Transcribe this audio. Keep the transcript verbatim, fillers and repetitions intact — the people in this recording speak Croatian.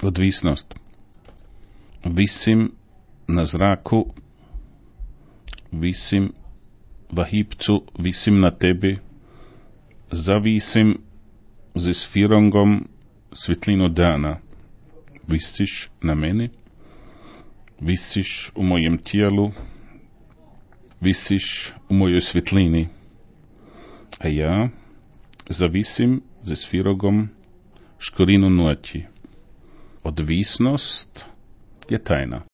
Odvisnost. Visim na zraku, visim vahipcu, visim na tebi, zavisim z sfirongom svjetlinu dana. Visiš na meni, visiš u mojem tijelu, visiš u mojoj svjetlini, a ja zavisim ze sfirogom škorinu noći. Odvisnost je tajna.